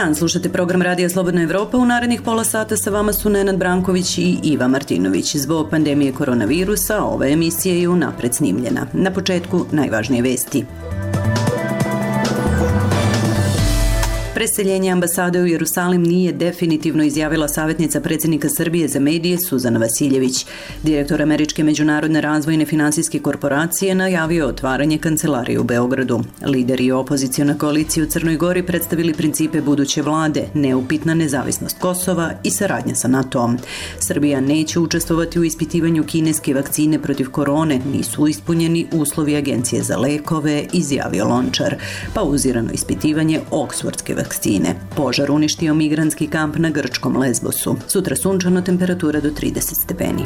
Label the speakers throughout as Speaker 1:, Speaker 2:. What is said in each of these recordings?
Speaker 1: dan, slušate program Radija Slobodna Evropa. U narednih pola sata sa vama su Nenad Branković i Iva Martinović. Zbog pandemije koronavirusa ova emisija je unapred snimljena. Na početku najvažnije vesti. Preseljenje ambasade u Jerusalim nije definitivno, izjavila savjetnica predsjednika Srbije za medije Suzana Vasiljević. Direktor Američke međunarodne razvojne finansijske korporacije najavio otvaranje kancelarije u Beogradu. Lideri opozicione koalicije u Crnoj Gori predstavili principe buduće vlade, neupitna nezavisnost Kosova i saradnja sa NATO-om. Srbija neće učestvovati u ispitivanju kineske vakcine protiv korone, nisu ispunjeni uslovi Agencije za lekove, izjavio Lončar. Pauzirano ispitivanje oksfordske vakcine. Požar uništio migrantski kamp na grčkom Lesbosu. Sutra sunčano, temperatura do 30 stepeni.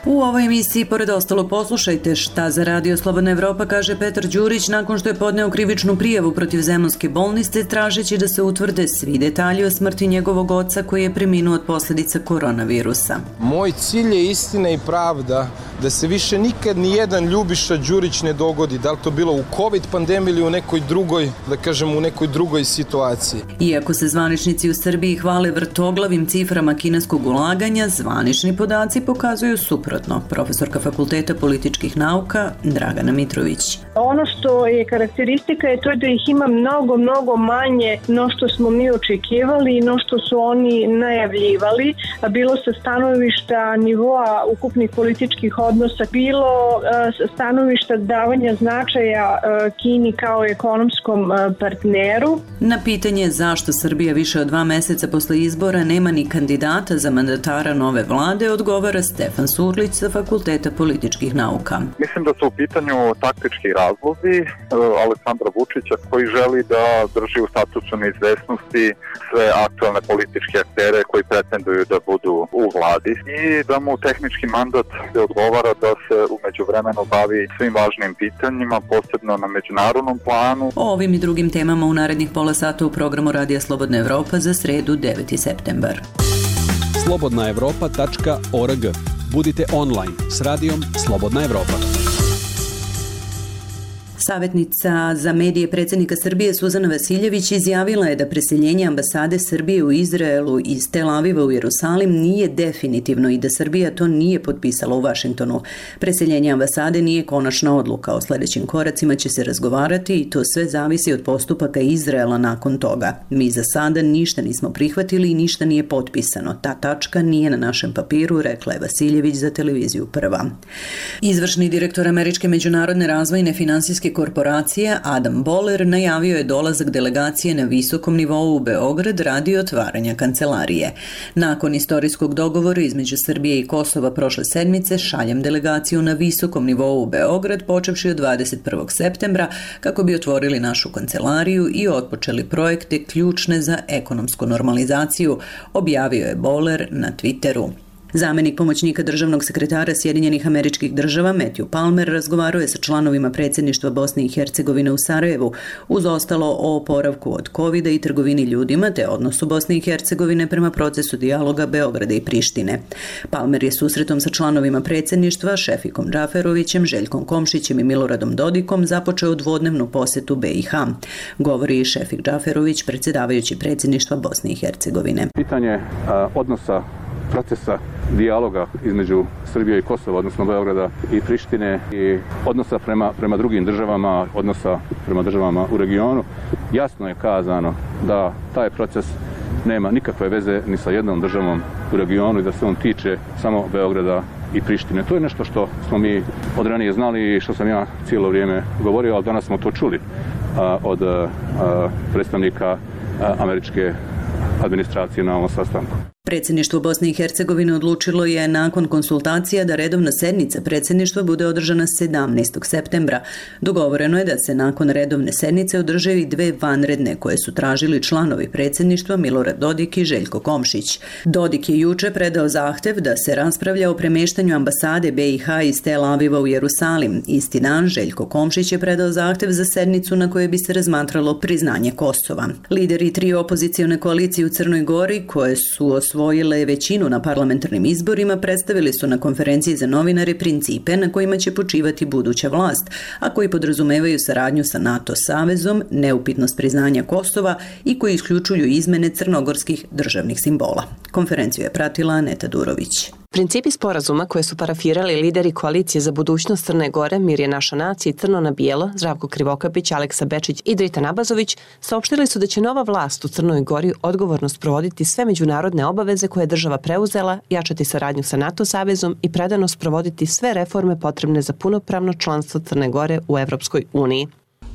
Speaker 1: U ovoj emisiji, pored ostalo, poslušajte šta za Radio Slobodna Evropa kaže Petar Đurić nakon što je podneo krivičnu prijavu protiv Zemunske bolnice, tražeći da se utvrde svi detalji o smrti njegovog oca koji je preminuo od posljedica koronavirusa.
Speaker 2: Moj cilj je istina i pravda, da se više nikad ni jedan Ljubiša Đurić ne dogodi, da li to bilo u COVID pandemiji ili u nekoj drugoj, da kažem, u nekoj drugoj situaciji.
Speaker 1: Iako se zvaničnici u Srbiji hvale vrtoglavim ciframa kineskog ulaganja, zvanični podaci pokazuju suprotno. Profesorka Fakulteta političkih nauka Dragana Mitrović.
Speaker 3: Ono što je karakteristika je to da ih ima mnogo manje no što smo mi očekivali i no što su oni najavljivali, bilo sa stanovišta nivoa ukupnih političkih odnosa, bilo stanovišta davanja značaja Kini kao ekonomskom partneru.
Speaker 1: Na pitanje zašto Srbija više od 2 meseca posle izbora nema ni kandidata za mandatara nove vlade, odgovara Stefan Surlić sa Fakulteta političkih nauka.
Speaker 4: Mislim da su u pitanju taktički razlozi Aleksandra Vučića koji želi da drži u statusu neizvesnosti sve aktualne političke aktere koji pretenduju da budu u vladi i da mu tehnički mandat odgovara da se u međuvremenu bavi svim važnim pitanjima, posebno na međunarodnom planu.
Speaker 1: O ovim i drugim temama u narednih pola sata u programu Radija Slobodna Evropa za sredu 9. septembar.
Speaker 5: slobodnaevropa.org. Budite online s radijom Slobodna Evropa.
Speaker 1: Savjetnica za medije predsjednika Srbije Suzana Vasiljević izjavila je da preseljenje ambasade Srbije u Izraelu iz Tel Aviva u Jerusalim nije definitivno i da Srbija to nije potpisala u Vašingtonu. Preseljenje ambasade nije konačna odluka. O sljedećim koracima će se razgovarati i to sve zavisi od postupaka Izraela nakon toga. Mi za sada ništa nismo prihvatili i ništa nije potpisano. Ta tačka nije na našem papiru, rekla je Vasiljević za televiziju Prva. Izvršni direktor Američke međunarodne razvojne finansijske korporacije Adam Boller najavio je dolazak delegacije na visokom nivou u Beograd radi otvaranja kancelarije. Nakon istorijskog dogovora između Srbije i Kosova prošle sedmice šaljem delegaciju na visokom nivou u Beograd počevši od 21. septembra kako bi otvorili našu kancelariju i otpočeli projekte ključne za ekonomsku normalizaciju, objavio je Boller na Twitteru. Zamenik pomoćnika državnog sekretara Sjedinjenih Američkih Država Matthew Palmer razgovarao je sa članovima predsjedništva Bosne i Hercegovine u Sarajevu, uz ostalo o oporavku od covida i trgovini ljudima te odnosu Bosne i Hercegovine prema procesu dijaloga Beograda i Prištine. Palmer je susretom sa članovima predsjedništva Šefikom Džaferovićem, Željkom Komšićem i Miloradom Dodikom započeo dvodnevnu posjetu BiH. Govori i Šefik Džaferović, predsjedavajući predsjedništva Bosne i Hercegovine.
Speaker 6: Pitanje odnosa procesa dijaloga između Srbije i Kosova, odnosno Beograda i Prištine i odnosa prema drugim državama, odnosa prema državama u regionu, jasno je kazano da taj proces nema nikakve veze ni sa jednom državom u regionu i da se on tiče samo Beograda i Prištine. To je nešto što smo mi od ranije znali i što sam ja cijelo vrijeme govorio, ali danas smo to čuli od predstavnika američke administracije na ovom sastanku.
Speaker 1: Predsjedništvo Bosne i Hercegovine odlučilo je nakon konsultacija da redovna sednica predsjedništva bude održana 17. septembra. Dogovoreno je da se nakon redovne sednice održe i 2 vanredne koje su tražili članovi predsjedništva Milorad Dodik i Željko Komšić. Dodik je juče predao zahtev da se raspravlja o premještanju ambasade BiH iz Tel Aviva u Jerusalim. Isti dan Željko Komšić je predao zahtev za sednicu na kojoj bi se razmatralo priznanje Kosova. Lideri 3 opozicione koalicije u Crnoj Gori koje su osvojili osvojile većinu na parlamentarnim izborima, predstavili su na konferenciji za novinare principe na kojima će počivati buduća vlast, a koji podrazumevaju saradnju sa NATO savezom, neupitnost priznanja Kosova i koji isključuju izmene crnogorskih državnih simbola. Konferenciju je pratila Aneta Durović.
Speaker 7: Principi sporazuma koje su parafirali lideri koalicije za budućnost Crne Gore, Mir je naša nacija i Crno na bijelo, Zdravko Krivokapić, Aleksa Bečić i Dritan Abazović, saopštili su da će nova vlast u Crnoj Gori odgovorno sprovoditi sve međunarodne obaveze koje je država preuzela, jačati saradnju sa NATO savezom i predano sprovoditi sve reforme potrebne za punopravno članstvo Crne Gore u Evropskoj uniji.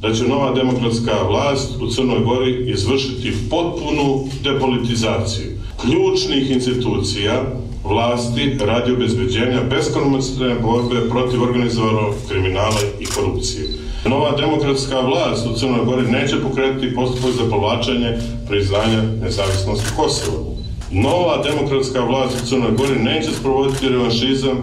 Speaker 8: Da će nova demokratska vlast u Crnoj Gori izvršiti potpunu depolitizaciju ključnih institucija vlasti radi obezbeđenja beskompromisne borbe protiv organizovanog kriminala i korupcije. Nova demokratska vlast u Crnoj Gori neće pokrenuti postupak za povlačenje priznanja nezavisnosti Kosova. Nova demokratska vlast u Crnoj Gori neće sprovoditi revanšizam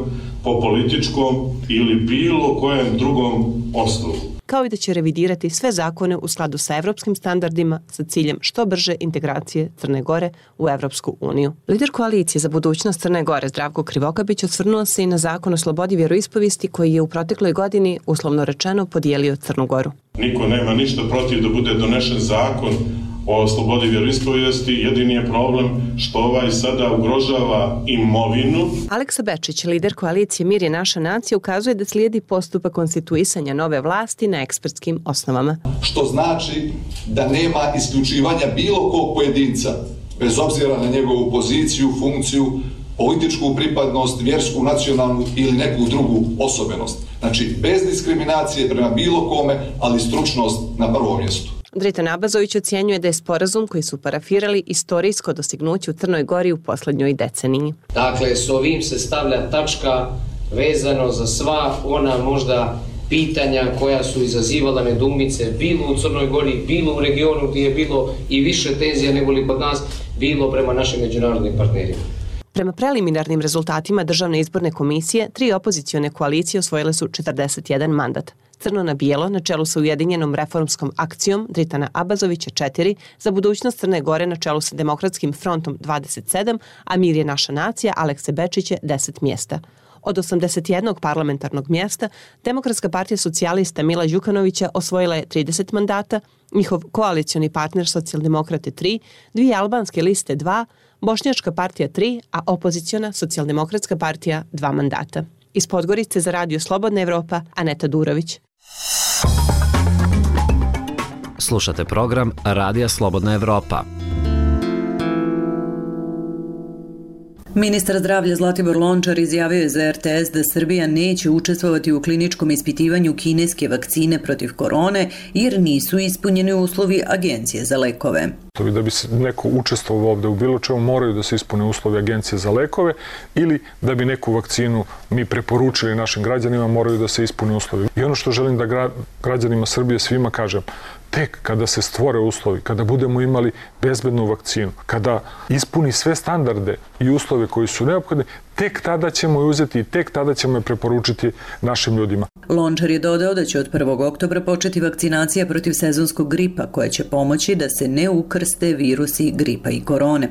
Speaker 8: po političkom ili bilo kojem drugom osnovu,
Speaker 7: kao i da će revidirati sve zakone u skladu sa evropskim standardima sa ciljem što brže integracije Crne Gore u Evropsku uniju. Lider koalicije za budućnost Crne Gore, Zdravko Krivokapić, osvrnuo se i na zakon o slobodi vjeroispovijesti koji je u protekloj godini, uslovno rečeno, podijelio Crnu Goru.
Speaker 8: Niko nema ništa protiv da bude donešen zakon o slobodi vjeroispovijesti, jedini je problem što ovaj sada ugrožava imovinu.
Speaker 7: Aleksa Bečić, lider koalicije Mir je naša nacija, ukazuje da slijedi postupak konstituisanja nove vlasti na ekspertskim osnovama.
Speaker 9: Što znači da nema isključivanja bilo kog pojedinca, bez obzira na njegovu poziciju, funkciju, političku pripadnost, vjersku, nacionalnu ili neku drugu osobenost. Znači, bez diskriminacije prema bilo kome, ali stručnost na prvom mjestu.
Speaker 7: Dritan Abazović ocjenjuje da je sporazum koji su parafirali istorijsko dostignuće u Crnoj Gori u posljednjoj deceniji.
Speaker 10: Dakle, s ovim se stavlja tačka vezano za sva ona možda pitanja koja su izazivala nedoumice bilo u Crnoj Gori, bilo u regionu gdje je bilo i više tenzija nego li kod nas, bilo prema našim međunarodnim partnerima.
Speaker 7: Prema preliminarnim rezultatima Državne izborne komisije, 3 opozicione koalicije osvojile su 41 mandat. Crno na bijelo, na čelu sa Ujedinjenom reformskom akcijom Dritana Abazovića 4, za budućnost Crne Gore na čelu sa Demokratskim frontom 27, a Mir je naša nacija Alekse Bečića 10 mjesta. Od 81 parlamentarnog mjesta, Demokratska partija socijalista Mila Đukanovića osvojila je 30 mandata, njihov koalicioni partner Socijaldemokrate 3, 2 albanske liste 2, Bošnjačka partija 3, a opoziciona Socijaldemokratska partija 2 mandata. Iz Podgorice za Radio Slobodna Evropa, Aneta Durović.
Speaker 11: Slušate program Radija Slobodna Evropa.
Speaker 1: Ministar zdravlja Zlatibor Lončar izjavio je za RTS da Srbija neće učestvovati u kliničkom ispitivanju kineske vakcine protiv korone jer nisu ispunjeni uslovi Agencije za lekove.
Speaker 12: Da bi se neko učestvovao ovde u bilo čemu, moraju da se ispune uslovi Agencije za lekove ili da bi neku vakcinu mi preporučili našim građanima, moraju da se ispune uslovi. I ono što želim da građanima Srbije svima kažem, tek kada se stvore uslovi, kada budemo imali bezbednu vakcinu, kada ispuni sve standarde i uslove koji su neophodni, tek tada ćemo je uzeti i tek tada ćemo je preporučiti našim ljudima.
Speaker 1: Lončar je dodao da će od 1. oktobra početi vakcinacija protiv sezonskog gripa koja će pomoći da se ne ukrste virusi gripa i korone.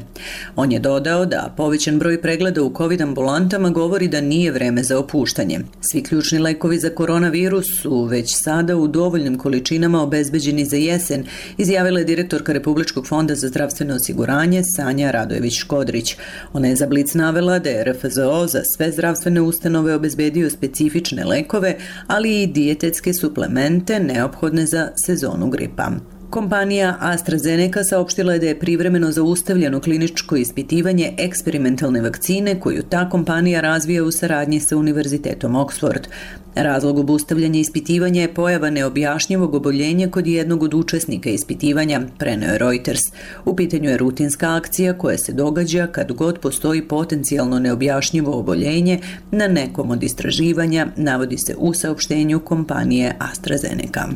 Speaker 1: On je dodao da povećan broj pregleda u COVID ambulantama govori da nije vreme za opuštanje. Svi ključni lekovi za koronavirus su već sada u dovoljnim količinama obezbeđeni za jesen, izjavila je direktorka Republičkog fonda za zdravstveno osiguranje Sanja Radojević-Škodrić. Ona je za Blic navela da je RFZO za sve zdravstvene ustanove obezbedio specifične lekove, ali i dijetetske suplemente neophodne za sezonu gripa. Kompanija AstraZeneca saopštila je da je privremeno zaustavljeno kliničko ispitivanje eksperimentalne vakcine koju ta kompanija razvija u saradnji sa Univerzitetom Oxford. Razlog obustavljanja ispitivanja je pojava neobjašnjivog oboljenja kod jednog od učesnika ispitivanja, preneo je Reuters. U pitanju je rutinska akcija koja se događa kad god postoji potencijalno neobjašnjivo oboljenje na nekom od istraživanja, navodi se u saopštenju kompanije AstraZeneca.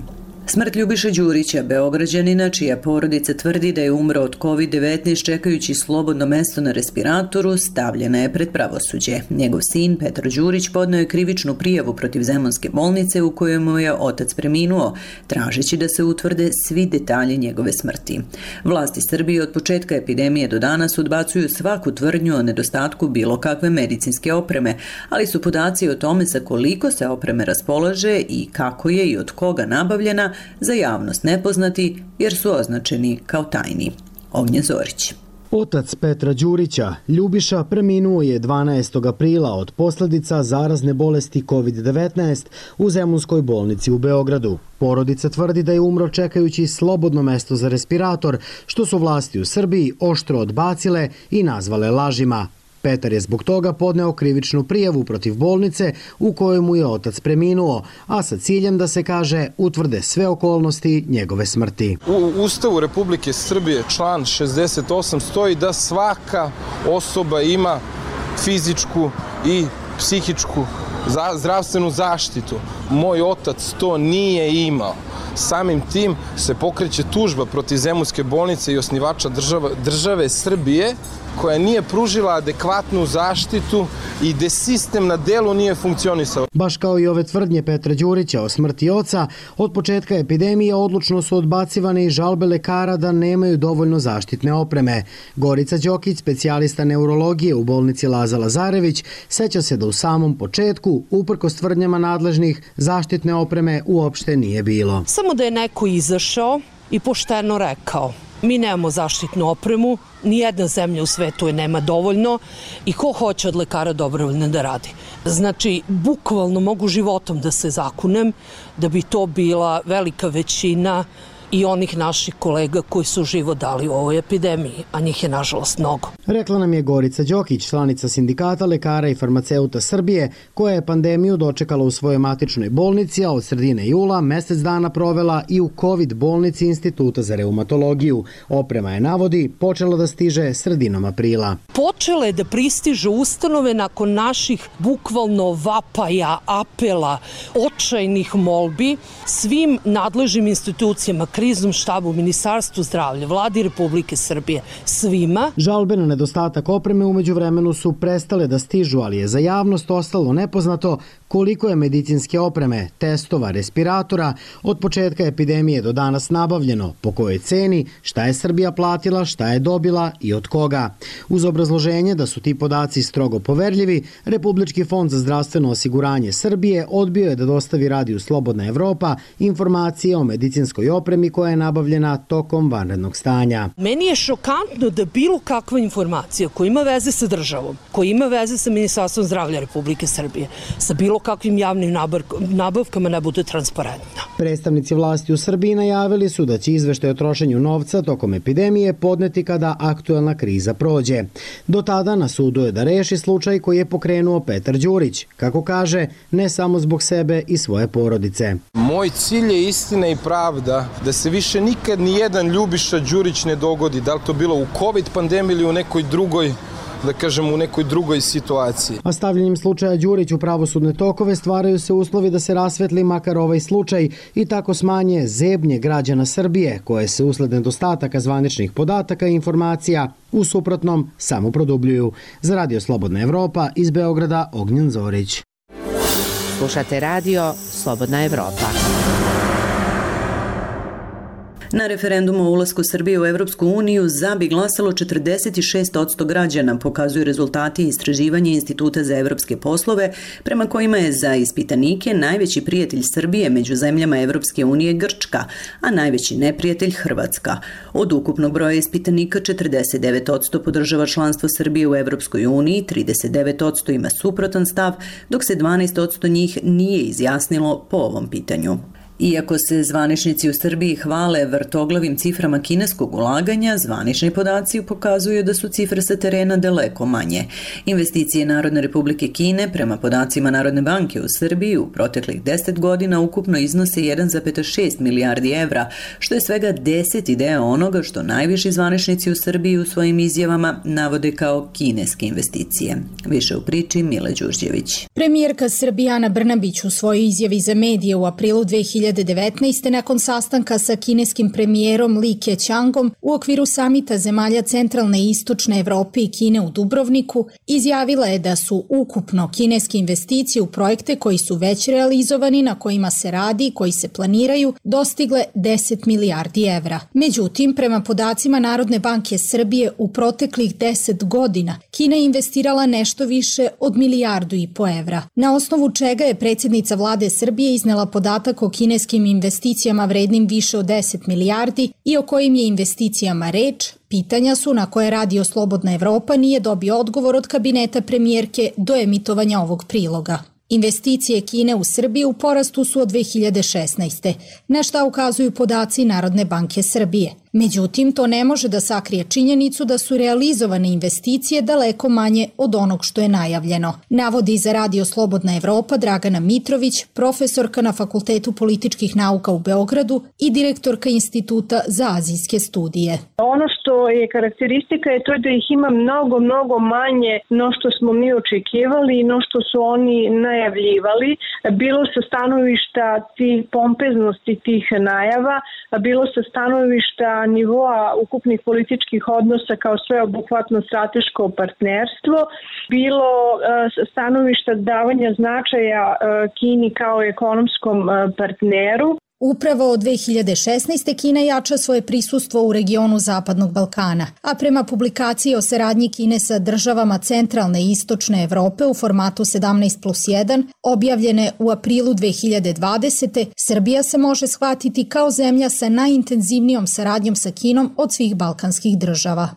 Speaker 1: Smrt Ljubiše Đurića, Beograđanina, čija porodica tvrdi da je umro od COVID-19 čekajući slobodno mesto na respiratoru, stavljena je pred pravosuđe. Njegov sin, Petar Đurić, podneo je krivičnu prijavu protiv Zemunske bolnice u kojoj mu je otac preminuo, tražeći da se utvrde svi detalji njegove smrti. Vlasti Srbije od početka epidemije do danas odbacuju svaku tvrdnju o nedostatku bilo kakve medicinske opreme, ali su podaci o tome sa koliko se opreme raspolaže i kako je i od koga nabavljena za javnost nepoznati jer su označeni kao tajni. Ognjen Zorić.
Speaker 13: Otac Petra Đurića, Ljubiša, preminuo je 12. aprila od posljedica zarazne bolesti COVID-19 u Zemunskoj bolnici u Beogradu. Porodica tvrdi da je umro čekajući slobodno mesto za respirator, što su vlasti u Srbiji oštro odbacile i nazvale lažima. Petar je zbog toga podneo krivičnu prijavu protiv bolnice u kojoj mu je otac preminuo, a sa ciljem da se, kaže, utvrde sve okolnosti njegove smrti.
Speaker 2: U Ustavu Republike Srbije član 68 stoji da svaka osoba ima fizičku i psihičku zdravstvenu zaštitu. Moj otac to nije imao. Samim tim se pokreće tužba protiv Zemunske bolnice i osnivača države Srbije, koja nije pružila adekvatnu zaštitu i gde sistem na delu nije funkcionisao.
Speaker 13: Baš kao i ove tvrdnje Petra Đurića o smrti oca, od početka epidemije odlučno su odbacivane i žalbe lekara da nemaju dovoljno zaštitne opreme. Gorica Đokić, specijalista neurologije u bolnici Laza Lazarević, seća se da u samom početku, uprkos tvrdnjama nadležnih, zaštitne opreme uopšte nije bilo.
Speaker 14: Samo da je neko izašao i pošteno rekao: mi nemamo zaštitnu opremu, nijedna zemlja u svetu je nema dovoljno i ko hoće od lekara dobrovoljno da radi. Znači, bukvalno mogu životom da se zakunem da bi to bila velika većina i onih naših kolega koji su život dali u ovoj epidemiji, a njih je nažalost mnogo.
Speaker 13: Rekla nam je Gorica Đokić, članica Sindikata lekara i farmaceuta Srbije, koja je pandemiju dočekala u svojoj matičnoj bolnici, a od sredine jula mesec dana provela i u COVID bolnici Instituta za reumatologiju. Oprema je, navodi, počela da stiže sredinom aprila.
Speaker 14: Počele da pristižu ustanove nakon naših bukvalno vapaja, apela, očajnih molbi svim nadležnim institucijama, kriznom štabu, Ministarstvu zdravlja, Vladi Republike Srbije, svima.
Speaker 13: Žalbe na nedostatak opreme umeđu vremenu su prestale da stižu, ali je za javnost ostalo nepoznato koliko je medicinske opreme, testova, respiratora od početka epidemije do danas nabavljeno, po kojoj ceni, šta je Srbija platila, šta je dobila i od koga. Uz obrazloženje da su ti podaci strogo poverljivi, Republički fond za zdravstveno osiguranje Srbije odbio je da dostavi radiju Slobodna Evropa informacije o medicinskoj opremi koja je nabavljena tokom vanrednog stanja.
Speaker 14: Meni je šokantno da bilo kakva informacija koja ima veze sa državom, koja ima veze sa Ministarstvom zdravlja Republike Srbije, sa bilo kakvim javnim nabavkama ne bude transparentna.
Speaker 13: Predstavnici vlasti u Srbiji najavili su da će izveštaj o trošenju novca tokom epidemije podneti kada aktuelna kriza prođe. Do tada na sudu je da reši slučaj koji je pokrenuo Petar Đurić, kako kaže, ne samo zbog sebe i svoje porodice.
Speaker 2: Moj cilj je istina i pravda, da se više nikad ni jedan Ljubiša Đurić ne dogodi, da li to bilo u COVID pandemiji ili u nekoj drugoj, da kažem, u nekoj drugoj situaciji.
Speaker 13: A stavljanjem slučaja Đurić u pravosudne tokove stvaraju se uslovi da se rasvetli makar ovaj slučaj i tako smanje zebnje građana Srbije, koje se usled nedostataka zvaničnih podataka i informacija u suprotnom samo produbljuju. Za Radio Slobodna Evropa iz Beograda, Ognjen Zorić.
Speaker 15: Slušate Radio Slobodna Evropa.
Speaker 1: Na referendumu o ulasku Srbije u Evropsku uniju za bi glasalo 46% građana, pokazuju rezultati istraživanja Instituta za evropske poslove, prema kojima je za ispitanike najveći prijatelj Srbije među zemljama Evropske unije Grčka, a najveći neprijatelj Hrvatska. Od ukupnog broja ispitanika 49% podržava članstvo Srbije u Evropskoj uniji, 39% ima suprotan stav, dok se 12% njih nije izjasnilo po ovom pitanju. Iako se zvaničnici u Srbiji hvale vrtoglavim ciframa kineskog ulaganja, zvanični podaci pokazuju da su cifre sa terena daleko manje. Investicije Narodne Republike Kine prema podacima Narodne banke u Srbiji u proteklih 10 godina ukupno iznose 1,6 milijardi evra, što je svega 10 deo onoga što najviši zvaničnici u Srbiji u svojim izjavama navode kao kineske investicije. Više u priči Mile Đurđević.
Speaker 16: Premijerka Srbije Ana Brnabić u svojoj izjavi za medije u aprilu 2020 2019. nakon sastanka sa kineskim premijerom Li Keqiangom u okviru samita zemalja centralne i istočne Evrope i Kine u Dubrovniku, izjavila je da su ukupno kineske investicije u projekte koji su već realizovani, na kojima se radi i koji se planiraju, dostigle 10 milijardi evra. Međutim, prema podacima Narodne banke Srbije, u proteklih 10 godina Kina je investirala nešto više od 1,5 milijardu evra, na osnovu čega je predsjednica vlade Srbije iznela podatak o kineskim investicijama vrednim više od 10 milijardi i o kojim je investicijama reč. Pitanja su na koje Radio Slobodna Evropa nije dobio odgovor od kabineta premijerke do emitovanja ovog priloga. Investicije Kine u Srbiji u porastu su od 2016. na šta ukazuju podaci Narodne banke Srbije. Međutim, to ne može da sakrije činjenicu da su realizovane investicije daleko manje od onog što je najavljeno. Navodi za Radio Slobodna Evropa Dragana Mitrović, profesorka na Fakultetu političkih nauka u Beogradu i direktorka Instituta za azijske studije.
Speaker 3: Ono što je karakteristika je to da ih ima mnogo manje no što smo mi očekivali i no što su oni najavljivali, bilo sa stanovišta tih pompeznosti tih najava, bilo sa stanovišta nivoa ukupnih političkih odnosa kao sveobuhvatno strateško partnerstvo, bilo stanovišta davanja značaja Kini kao ekonomskom partneru.
Speaker 16: Upravo od 2016. Kina jača svoje prisustvo u regionu Zapadnog Balkana, a prema publikaciji o saradnji Kine sa državama centralne i istočne Evrope u formatu 17+1, objavljene u aprilu 2020. Srbija se može shvatiti kao zemlja sa najintenzivnijom saradnjom sa Kinom od svih balkanskih država.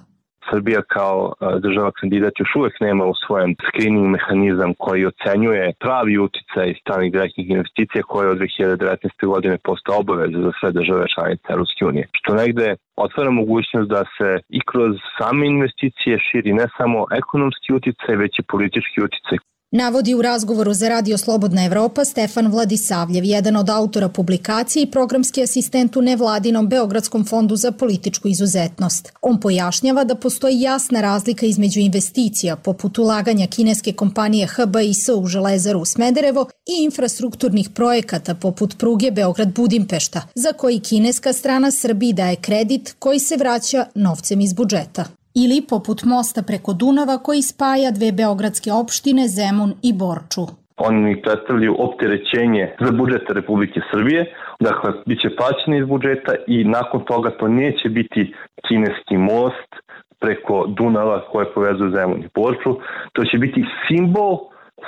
Speaker 17: Srbija kao država kandidat još uvek nema usvojen screening mehanizam koji ocenjuje pravi uticaj stranih direktnih investicija koje od 2019. godine postao obaveza za sve države članice Evropske unije. Što negde otvara mogućnost da se i kroz same investicije širi ne samo ekonomski uticaj, već i politički uticaj.
Speaker 16: Navodi u razgovoru za Radio Slobodna Evropa Stefan Vladisavljev, jedan od autora publikacije i programski asistent u nevladinom Beogradskom fondu za političku izuzetnost. On pojašnjava da postoji jasna razlika između investicija, poput ulaganja kineske kompanije HBIS u Železaru u Smederevo i infrastrukturnih projekata poput pruge Beograd-Budimpešta, za koji kineska strana Srbiji daje kredit koji se vraća novcem iz budžeta. Ili poput mosta preko Dunava koji spaja dve beogradske opštine Zemun i Borču.
Speaker 17: Oni predstavljaju opterećenje za budžet Republike Srbije, dakle, bit će plaćeni iz budžeta i nakon toga to neće biti kineski most preko Dunava koje povezuje Zemun i Borču. To će biti simbol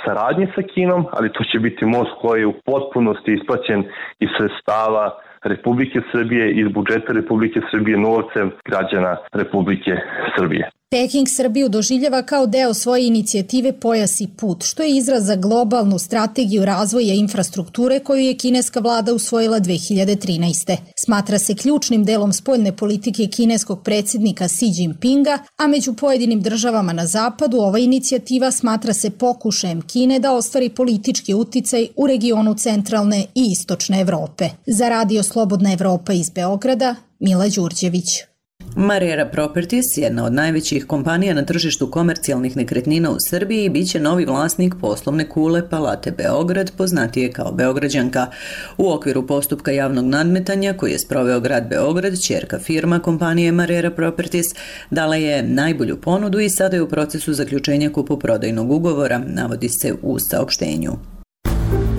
Speaker 17: saradnje sa Kinom, ali to će biti most koji je u potpunosti isplaćen iz sredstava Republike Srbije, iz budžeta Republike Srbije, novcem građana Republike Srbije.
Speaker 16: Peking Srbiju doživljava kao deo svoje inicijative Pojas i put, što je izraz za globalnu strategiju razvoja infrastrukture koju je kineska vlada usvojila 2013. Smatra se ključnim delom spoljne politike kineskog predsjednika Xi Jinpinga, a među pojedinim državama na zapadu ova inicijativa smatra se pokušajem Kine da ostvari politički uticaj u regionu centralne i istočne Evrope. Za Radio Slobodna Evropa iz Beograda, Mila Đurđević.
Speaker 1: Marera Properties, jedna od najvećih kompanija na tržištu komercijalnih nekretnina u Srbiji, bit će novi vlasnik poslovne kule Palate Beograd, poznatije kao Beograđanka. U okviru postupka javnog nadmetanja koji je sproveo grad Beograd, ćerka firma kompanije Marera Properties dala je najbolju ponudu i sada je u procesu zaključenja kupoprodajnog ugovora, navodi se u saopštenju.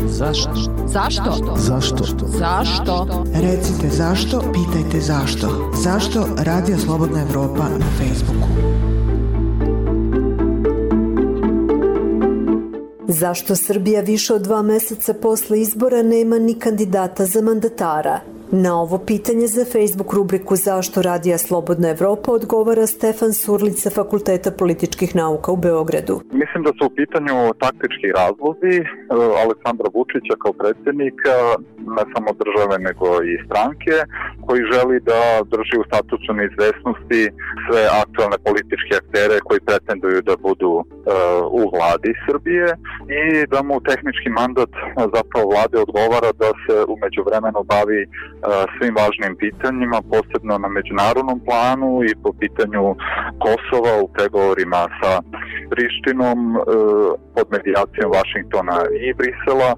Speaker 5: Zašto?
Speaker 18: Zašto?
Speaker 5: Zašto?
Speaker 18: Zašto?
Speaker 19: Recite zašto, pitajte zašto. Zašto Radio Slobodna Evropa na Facebooku?
Speaker 20: Zašto Srbija više od 2 meseca posle izbora nema ni kandidata za mandatara? Na ovo pitanje za Facebook rubriku Zašto Radija Slobodna Evropa odgovara Stefan Surlić sa Fakulteta političkih nauka u Beogradu.
Speaker 4: Mislim da su u pitanju taktički razlozi Aleksandra Vučića kao predsjednika, ne samo države nego i stranke, koji želi da drži u statusu neizvesnosti sve aktualne političke aktere koji pretenduju da budu u vladi Srbije i da mu tehnički mandat zapravo vlade odgovara da se umeđu vremenu bavi svim važnim pitanjima, posebno na međunarodnom planu i po pitanju Kosova u pregovorima sa Prištinom, pod medijacijom Vašingtona i Brisela,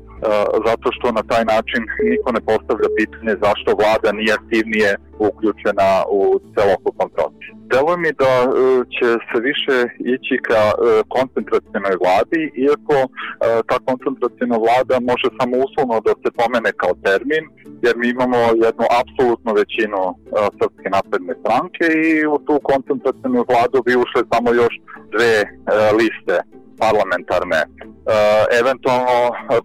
Speaker 4: zato što na taj način niko ne postavlja pitanje zašto vlada nije aktivnije uključena u celokupan proces. Deluje mi da će se više ići ka koncentracionoj vladi, iako ta koncentraciona vlada može samo uslovno da se pomene kao termin, jer mi imamo jednu apsolutnu većinu Srpske napredne stranke i u tu koncentracionu vladu bi ušle samo još dve liste parlamentarne. Eventualno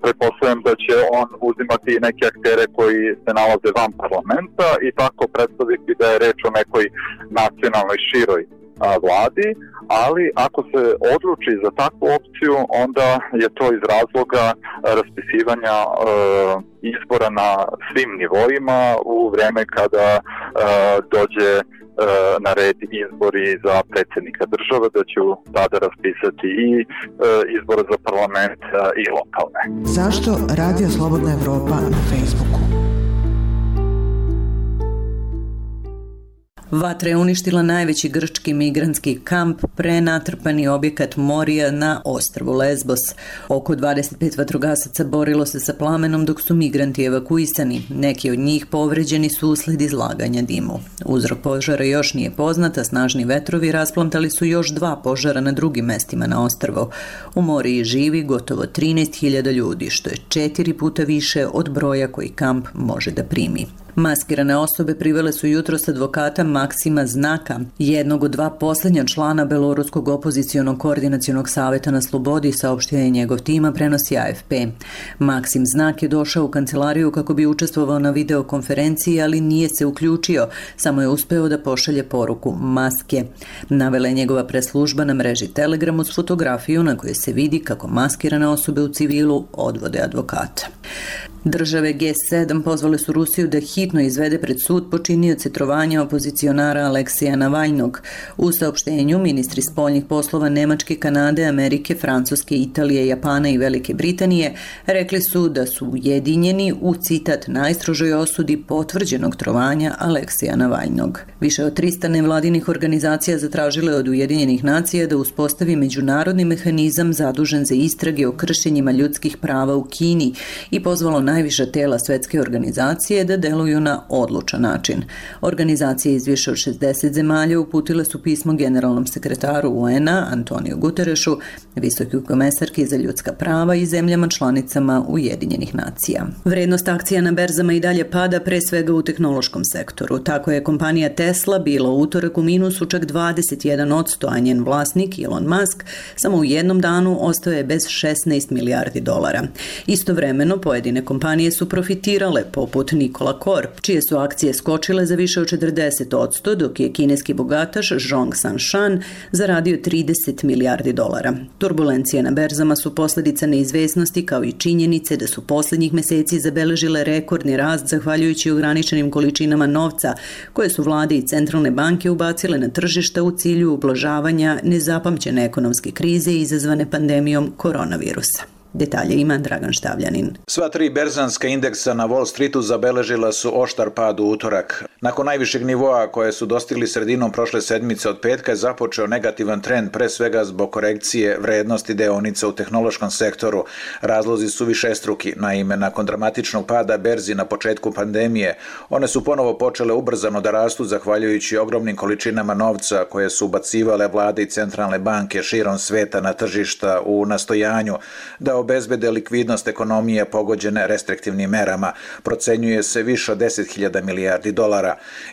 Speaker 4: pretpostavljam da će on uzimati neke aktere koji se nalaze van parlamenta i tako predstaviti da je reč o nekoj nacionalnoj široj vladi, ali ako se odluči za takvu opciju, onda je to iz razloga raspisivanja izbora na svim nivoima u vreme kada dođe na red izbori za predsjednika države, da će tada raspisati i izbore za parlament i lokalne.
Speaker 19: Zašto Radio Slobodna Evropa na Facebooku?
Speaker 1: Vatra je uništila najveći grčki migrantski kamp, prenatrpani objekat Morija na ostrvu Lesbos. Oko 25 vatrogasaca borilo se sa plamenom dok su migranti evakuisani. Neki od njih povređeni su usled izlaganja dimu. Uzrok požara još nije poznat, a snažni vetrovi rasplantali su još 2 požara na drugim mestima na ostrvu. U Moriji živi gotovo 13.000 ljudi, što je 4 puta više od broja koji kamp može da primi. Maskirane osobe privele su jutros advokata Maksima Znaka, jednog od 2 posljednja člana beloruskog opozicionog koordinacionog saveta na slobodi, saopštio je njegov tima, prenosi AFP. Maksim Znak je došao u kancelariju kako bi učestvovao na videokonferenciji, ali nije se uključio, samo je uspeo da pošalje poruku maske. Navela je njegova preslužba na mreži Telegram uz fotografiju na kojoj se vidi kako maskirane osobe u civilu odvode advokata. Države G7 pozvale su Rusiju da hitno izvede pred sud počinioce trovanja opozicionara Aleksija Navaljnog. U saopštenju ministri spoljnih poslova Nemačke, Kanade, Amerike, Francuske, Italije, Japana i Velike Britanije rekli su da su ujedinjeni u citat najstrožoj osudi potvrđenog trovanja Aleksija Navaljnog. Više od 300 nevladinih organizacija zatražile od Ujedinjenih nacija da uspostavi međunarodni mehanizam zadužen za istrage o kršenjima ljudskih prava u Kini i pozvalo najviša tela svetske organizacije da deluju na odlučan način. Organizacije iz više od 60 zemalja uputile su pismo generalnom sekretaru UN-a Antoniju Guterešu, visokoj komesarki za ljudska prava i zemljama članicama Ujedinjenih nacija. Vrednost akcija na berzama i dalje pada, pre svega u tehnološkom sektoru. Tako je kompanija Tesla bila u utorak u minusu čak 21%, a njen vlasnik Elon Musk samo u jednom danu ostao je bez $16 milijardi. Istovremeno, pojedine kompanije su profitirale, poput Nikola Corp, čije su akcije skočile za više od 40%, dok je kineski bogataš Zhong Sanshan zaradio $30 milijardi. Turbulencije na berzama su posljedica neizvesnosti kao i činjenice da su posljednjih meseci zabeležile rekordni rast zahvaljujući ograničenim količinama novca koje su vlade i centralne banke ubacile na tržišta u cilju ublažavanja nezapamćene ekonomske krize izazvane pandemijom koronavirusa. Detalje ima Dragan Štavljanin.
Speaker 21: Sva 3 berzanska indeksa na Wall Streetu zabeležila su oštar pad u utorak. Nakon najvišeg nivoa koje su dostigli sredinom prošle sedmice od petka je započeo negativan trend, pre svega zbog korekcije vrednosti deonica u tehnološkom sektoru. Razlozi su višestruki. Naime, nakon dramatičnog pada berzi na početku pandemije, one su ponovo počele ubrzano da rastu zahvaljujući ogromnim količinama novca koje su ubacivale vlade i centralne banke širom sveta na tržišta u nastojanju da obezbede likvidnost ekonomije pogođene restriktivnim merama. Procenjuje se više od $10.000 milijardi.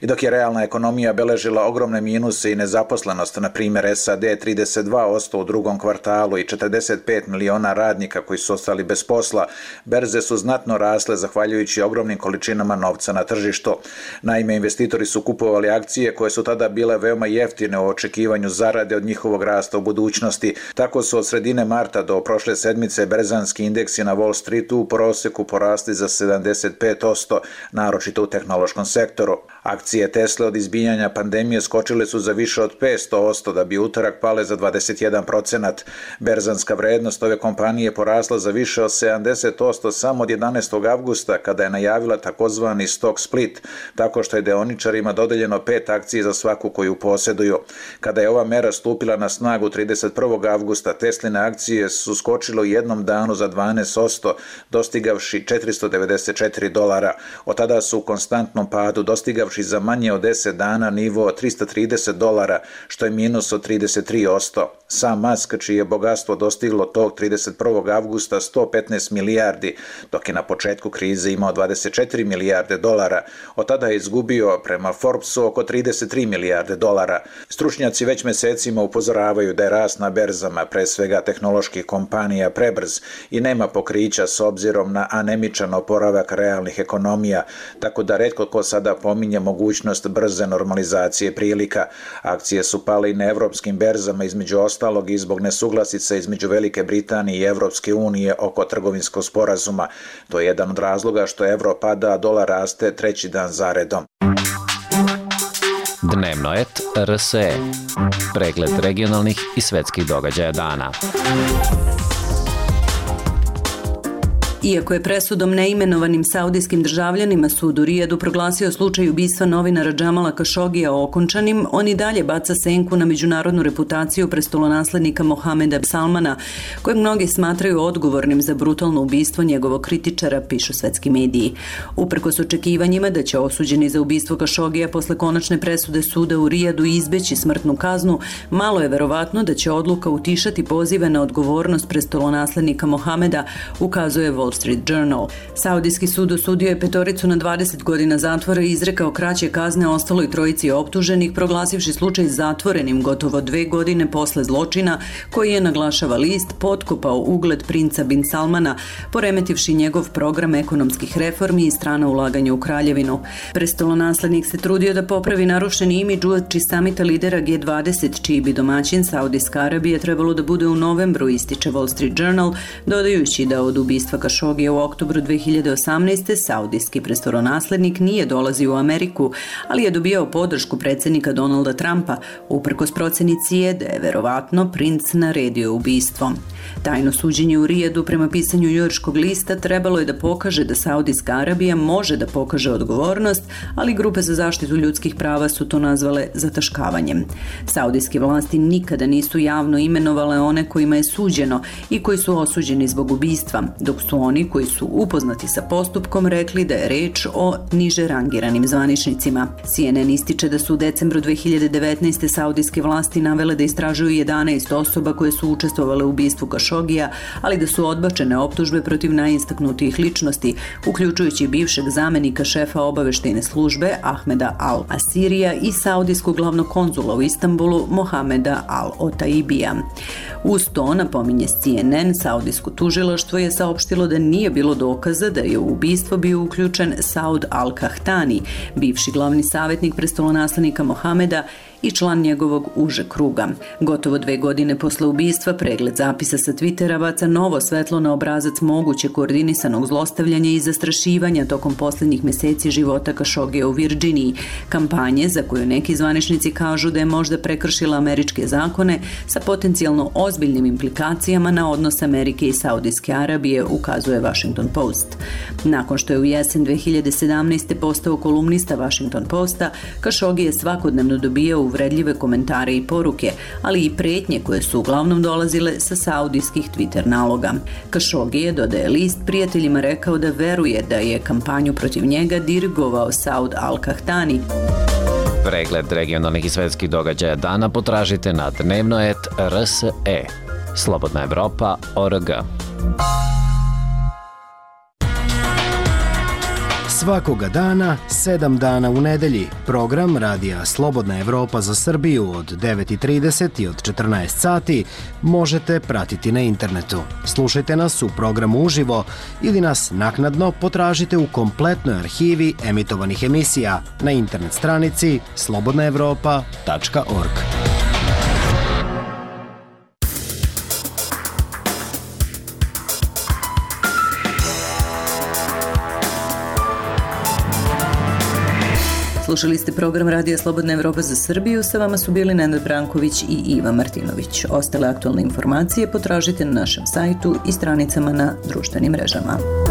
Speaker 21: I dok je realna ekonomija beležila ogromne minuse i nezaposlenost, na primjer SAD 32% u drugom kvartalu i 45 miliona radnika koji su ostali bez posla, berze su znatno rasle zahvaljujući ogromnim količinama novca na tržištu. Naime, investitori su kupovali akcije koje su tada bile veoma jeftine u očekivanju zarade od njihovog rasta u budućnosti. Tako su od sredine marta do prošle sedmice berzanski indeksi na Wall Streetu u proseku porasli za 75%, naročito u tehnološkom sektoru. Akcije Tesla od izbijanja pandemije skočile su za više od 500%, da bi utorak pale za 21%. Berzanska vrednost ove kompanije porasla za više od 70% samo od 11. avgusta, kada je najavila takozvani stock split, tako što je deoničarima dodeljeno 5 akcije za svaku koju posjeduju. Kada je ova mera stupila na snagu 31. avgusta, Tesline akcije su skočile u jednom danu za 12%, dostigavši $494. Od tada su u konstantnom padu, dostigavši za manje od 10 dana nivo $330, što je minus od 33%. Sam Musk, čije je bogatstvo dostiglo tog 31. avgusta 115 milijardi, dok je na početku krize imao 24 milijarde dolara, od tada je izgubio prema Forbesu oko 33 milijarde dolara. Stručnjaci već mesecima upozoravaju da je rast na berzama, pre svega tehnoloških kompanija, prebrz i nema pokrića s obzirom na anemičan oporavak realnih ekonomija, tako da retko ko sada pominje mogućnost brze normalizacije prilika. Akcije su pale i na evropskim berzama, između ostalog i zbog nesuglasica između Velike Britanije i Evropske unije oko trgovinskog sporazuma. To je jedan od razloga što evro pada, a dolar raste treći dan zaredom.
Speaker 11: Dnevnoet RSE. Pregled regionalnih i svetskih događaja dana.
Speaker 1: Iako je presudom neimenovanim saudijskim državljanima sud u Rijadu proglasio slučaj ubistva novinara Džamala Kašogija okončanim, on i dalje baca senku na međunarodnu reputaciju prestolonaslednika Mohameda Salmana, kojeg mnogi smatraju odgovornim za brutalno ubistvo njegovog kritičara, pišu svetski mediji. Uprkos očekivanjima da će osuđeni za ubistvo Kašogija posle konačne presude suda u Rijadu izbeći smrtnu kaznu, malo je verovatno da će odluka utišati pozive na odgovornost prestolonaslednika Mohameda, ukazuje Wall Street Journal. Saudijski sud osudio je petoricu na 20 godina zatvora i izrekao kraće kazne ostaloj trojici optuženih, proglasivši slučaj zatvorenim gotovo 2 godine posle zločina koji je, naglašava list, potkopao ugled princa bin Salmana, poremetivši njegov program ekonomskih reformi i strana ulaganja u kraljevinu. Prestolonaslednik se trudio da popravi narušeni imidž uoči samita lidera G20, čiji bi domaćin Saudijska Arabija trebalo da bude u novembru, ističe Wall Street Journal, dodajući da od ubistva Kašogija u oktobru 2018. saudijski prestolonaslednik nije dolazio u Ameriku, ali je dobijao podršku predsjednika Donalda Trumpa, uprkos proceni CIA da je verovatno princ naredio ubistvo. Tajno suđenje u Rijadu, prema pisanju njujorškog lista, trebalo je da pokaže da Saudijska Arabija može da pokaže odgovornost, ali grupe za zaštitu ljudskih prava su to nazvale zataškavanjem. Saudijske vlasti nikada nisu javno imenovale one kojima je suđeno i koji su osuđeni zbog ubistva, dok su oni koji su upoznati sa postupkom rekli da je reč o niže rangiranim zvaničnicima. CNN ističe da su u decembru 2019. saudijske vlasti navele da istražuju 11 osoba koje su učestvovale u ubistvu Kašogija, ali da su odbačene optužbe protiv najistaknutijih ličnosti, uključujući bivšeg zamenika šefa obaveštajne službe Ahmeda Al-Asirija i saudijskog glavnog konzula u Istanbulu Mohameda Al-Otaibija. Uz to, napominje CNN, saudijsko tužilaštvo je saopštilo da nije bilo dokaza da je u ubistvo bio uključen Saud Al-Kahtani, bivši glavni savjetnik prestolonaslednika Mohameda i član njegovog užeg kruga. Gotovo 2 godine posle ubistva, pregled zapisa sa Twittera baca novo svetlo na obrazac moguće koordinisanog zlostavljanja i zastrašivanja tokom posljednjih meseci života Kašogija u Virdžiniji, kampanje za koju neki zvaničnici kažu da je možda prekršila američke zakone sa potencijalno ozbiljnim implikacijama na odnos Amerike i Saudijske Arabije, ukazuje Washington Post. Nakon što je u jesen 2017. postao kolumnista Washington Posta, Kašogija je svakodnevno dobijao uvredljive komentare i poruke, ali i pretnje koje su uglavnom dolazile sa saudijskih Twitter naloga. Kašogi je, dodaje list, prijateljima rekao da veruje da je kampanju protiv njega dirigovao Saud Al-Kahtani.
Speaker 11: Pregled regionalnih i svetskih događaja dana potražite na Dnevnoet RSE. Slobodna Evropa.org.
Speaker 13: Svakoga dana, 7 dana u nedelji, program Radija Slobodna Evropa za Srbiju od 9:30 i od 14 sati možete pratiti na internetu. Slušajte nas u programu uživo ili nas naknadno potražite u kompletnoj arhivi emitovanih emisija na internet stranici slobodnaevropa.org.
Speaker 1: Slušali ste program Radija Slobodna Evropa za Srbiju, sa vama su bili Nenad Branković i Iva Martinović. Ostale aktualne informacije potražite na našem sajtu i stranicama na društvenim mrežama.